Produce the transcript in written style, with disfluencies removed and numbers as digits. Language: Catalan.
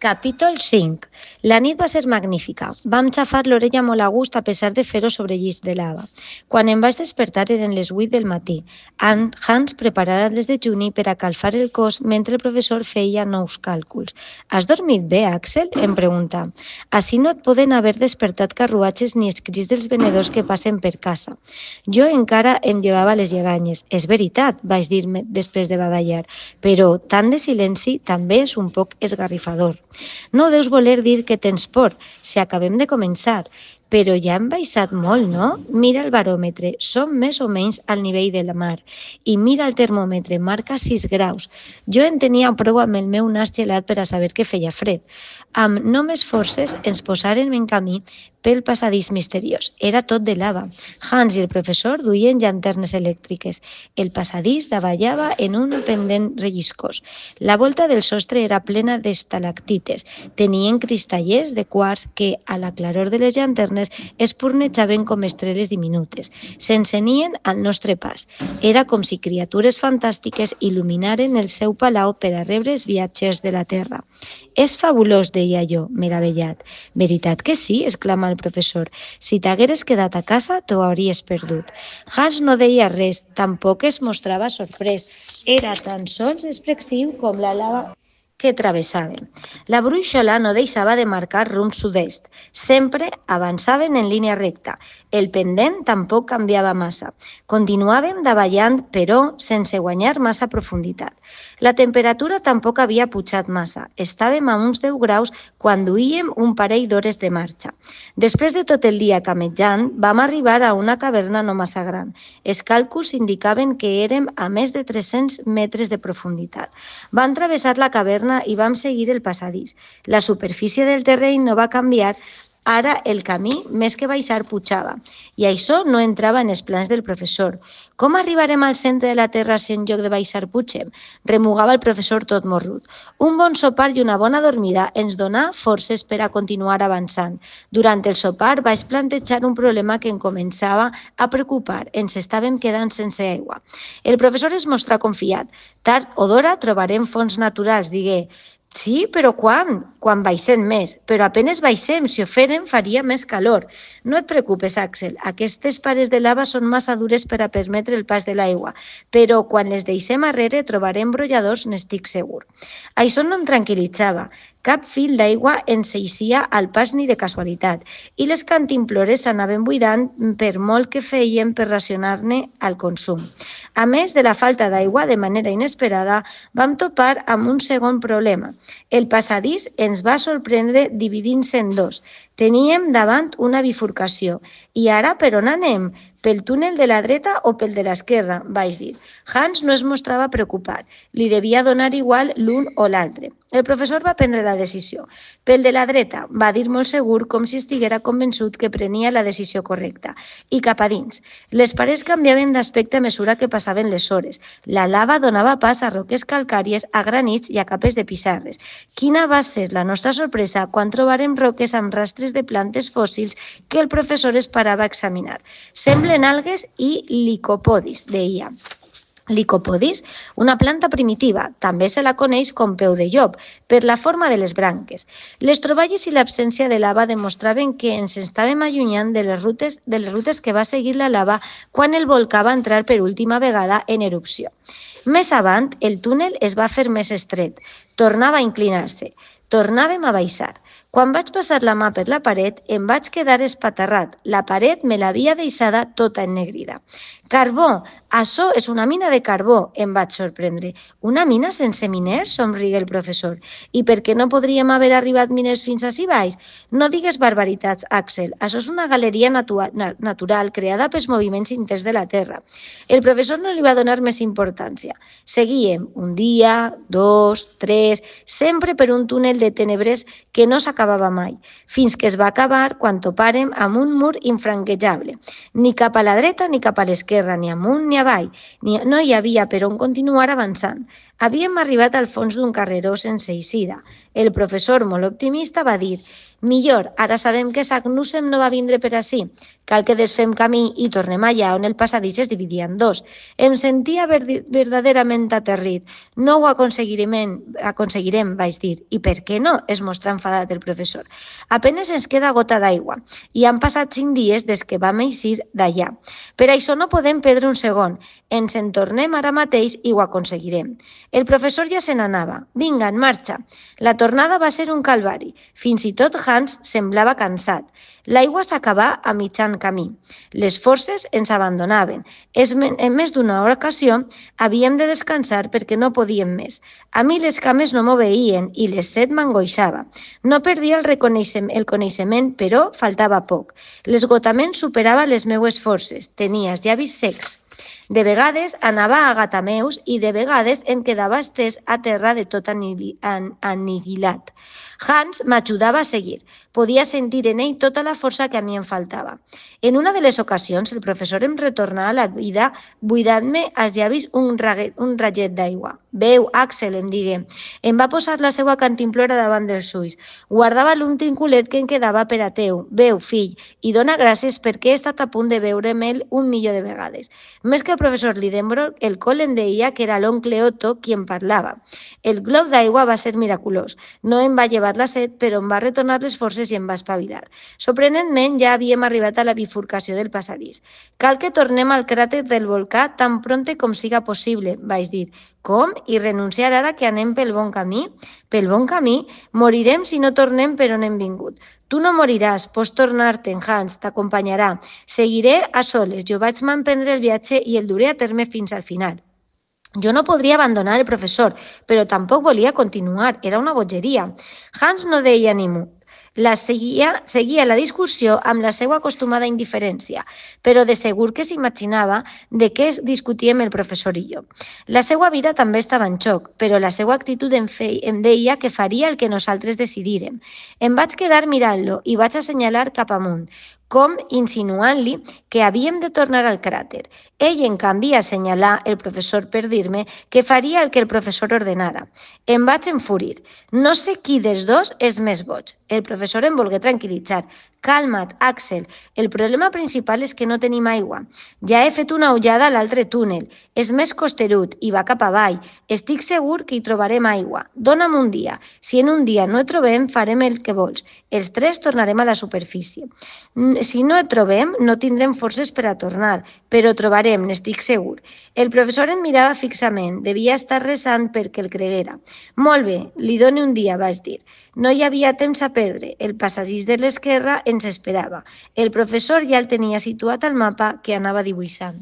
Capítol 5. La nit va ser magnífica. Vam xafar l'orella molt a gust a pesar de fer-ho sobre llis de lava. Quan em vaig despertar eren les 8 del matí. Hans preparava les dejuni per a calfar el cos mentre el professor feia nous càlculs. Has dormit bé, Axel? Em pregunta. Així no et poden haver despertat carruatges ni els crits dels venedors que passen per casa. Jo encara em llevava les lleganyes. És veritat, vaig dir-me després de badallar, però tant de silenci també és un poc esgarrifador. No deus voler dir que tens por, si acabem de començar. Però ja hem baixat molt, no? Mira el baròmetre, som més o menys al nivell de la mar. I mira el termòmetre, marca 6 graus. Jo en tenia prou amb el meu nas gelat per a saber que feia fred. Amb només forces ens posàrem en camí pel passadís misteriós. Era tot de lava. Hans i el professor duien llanternes elèctriques. El passadís davallava en un pendent relliscós. La volta del sostre era plena d'estalactites. Tenien cristallers de quars que, a la claror de les llanternes, espurnejaven com estrelles diminutes. S'encenien al nostre pas. Era com si criatures fantàstiques il·luminaren el seu palau per a rebre els viatgers de la Terra. És fabulós, deia jo, meravellat. Veritat que sí, exclama el professor. Si t'hagueres quedat a casa, t'ho hauries perdut. Hans no deia res, tampoc es mostrava sorprès. Era tan sols expressiu com la lava que travessaven. La brúixola no deixava de marcar rumb sud-est. Sempre avançaven en línia recta. El pendent tampoc canviava massa. Continuàvem davallant, però sense guanyar massa profunditat. La temperatura tampoc havia pujat massa. Estàvem a uns 10 graus quan duíem un parell d'hores de marxa. Després de tot el dia camejant, vam arribar a una caverna no massa gran. Els càlculs indicaven que érem a més de 300 metres de profunditat. Vam travessar la caverna i vam seguir el passadís. La superfície del terreny no va canviar. Ara el camí, més que baixar, pujava. I això no entrava en els plans del professor. Com arribarem al centre de la Terra si en lloc de baixar pugem? Remugava el professor tot morrut. Un bon sopar i una bona dormida ens donà forces per a continuar avançant. Durant el sopar vaig plantejar un problema que em començava a preocupar. Ens estàvem quedant sense aigua. El professor es mostrà confiat. Tard o d'hora trobarem fonts naturals, digué. Sí, però quan? Quan baixem més. Però apenes baixem, si ho fèrem faria més calor. No et preocupes, Axel, aquestes pares de lava són massa dures per a permetre el pas de l'aigua, però quan les deixem arrere trobarem brolladors, n'estic segur. Això no em tranquil·litzava. Cap fil d'aigua ens eixia al pas ni de casualitat, i les cantimplores s'anaven buidant per molt que feien per racionar-ne el consum. A més de la falta d'aigua, de manera inesperada, vam topar amb un segon problema. El passadís ens va sorprendre dividint-se en dos. Teníem davant una bifurcació. I ara per on anem? Pel túnel de la dreta o pel de l'esquerra? Vaig dir. Hans no es mostrava preocupat. Li devia donar igual l'un o l'altre. El professor va prendre la decisió. Pel de la dreta, va dir molt segur, com si estiguera convençut que prenia la decisió correcta. I cap a dins. Les parets canviaven d'aspecte a mesura que passaven les hores. La lava donava pas a roques calcàries, a granits i a capes de pissarres. Quina va ser la nostra sorpresa quan trobarem roques amb rastres de plantes fòssils que el professor esperava examinar. Semblen algues i licopodis, deia. Licopodis, una planta primitiva, també se la coneix com peu de llop, per la forma de les branques. Les troballes i l'absència de lava demostraven que ens estàvem allunyant de les rutes que va seguir la lava quan el volcà va entrar per última vegada en erupció. Més avant, el túnel es va fer més estret. Tornava a inclinar-se. Tornàvem a baixar. Quan vaig passar la mà per la paret, em vaig quedar espaterrat. La paret me l'havia deixada tota ennegrida. Carbó! Això és una mina de carbó, em vaig sorprendre. Una mina sense miners? Somrigué el professor. I per què no podríem haver arribat miners fins ací baix? No digues barbaritats, Axel. Això és una galeria natural creada pels moviments interns de la Terra. El professor no li va donar més importància. Seguíem un dia, 2, 3, sempre per un túnel de tenebres que no s'acabava mai, fins que es va acabar quan topàrem amb un mur infranquejable. Ni cap a la dreta ni cap a l'esquerra, ni amunt ni avall. No hi havia per on continuar avançant. Havíem arribat al fons d'un carreró sense eixida. El professor, molt optimista, va dir: Millor, ara sabem que Sagnussem no va vindre per ací. Cal que desfem camí i tornem allà on el passadís es dividia en dos. Em sentia verdaderament aterrit. No ho aconseguirem, vaig dir. I per què no? Es mostra enfadat el professor. Apenes ens queda gota d'aigua i han passat 5 dies des que vam eixir d'allà. Per això no podem perdre un segon. Ens en tornem ara mateix i ho aconseguirem. El professor ja se n'anava. Vinga, en marxa. La tornada va ser un calvari. Fins i tot Hans semblava cansat. L'aigua s'acabà a mitjan camí. Les forces ens abandonaven. En més d'una ocasió havíem de descansar perquè no podíem més. A mi les cames no m'obeïen i les set m'angoixava. No perdia el coneixement, però faltava poc. L'esgotament superava les meues forces. Tenia els llavis secs. De vegades anava a gatameus i de vegades em quedava estès a terra de tot aniquilat. Hans m'ajudava a seguir. Podia sentir en ell tota la força que a mi em faltava. En una de les ocasions, el professor em retornà a la vida buidant-me als llavis un raget d'aigua. «Veu, Axel», em digué. Em va posar la seva cantimplora davant dels ulls. Guardava l'últim culet que em quedava per a teu. «Veu, fill, i dona gràcies perquè he estat a punt de veure'm un milió de vegades». Més que el professor Lidenbrock, el Cole em deia que era l'oncle Otto qui em parlava. El glob d'aigua va ser miraculós. No em va llevar la set, però em va retornar les forces i em va espavilar. Sorprenentment, ja havíem arribat a la bifurcació del passadís. «Cal que tornem al cràter del volcà tan prompte com siga possible», vaig dir. «Com? I renunciar ara que anem pel bon camí?» «Pel bon camí? Morirem si no tornem per on hem vingut». «Tu no moriràs, pots tornar-te'n, Hans, t'acompanyarà. Seguiré a soles, jo vaig m'emprendre el viatge i el duré a terme fins al final». Jo no podria abandonar el professor, però tampoc volia continuar, era una bogeria. Hans no deia ni mu. Seguia la discussió amb la seva acostumada indiferència, però de segur que s'imaginava de què discutíem el professor i jo. La seva vida també estava en xoc, però la seva actitud em deia que faria el que nosaltres decidírem. Em vaig quedar mirant-lo i vaig assenyalar cap amunt, com insinuant-li que havíem de tornar al cràter. Ell, en canvi, assenyalar el professor per dir-me que faria el que el professor ordenara. Em vaig enfurir. No sé qui dels dos és més boig. El professor em volgué tranquil·litzar. «Calma't, Axel. El problema principal és que no tenim aigua. Ja he fet una ullada a l'altre túnel. És més costerut i va cap avall. Estic segur que hi trobarem aigua. Dóna'm un dia. Si en un dia no et trobem, farem el que vols. Els tres tornarem a la superfície. Si no et trobem, no tindrem forces per a tornar, però trobarem, n'estic segur». El professor em mirava fixament. Devia estar resant perquè el creguera. «Molt bé, li dono un dia», vaig dir. No hi havia temps a perdre. El passadís de l'esquerra ens esperava. El professor ja el tenia situat al mapa que anava dibuixant.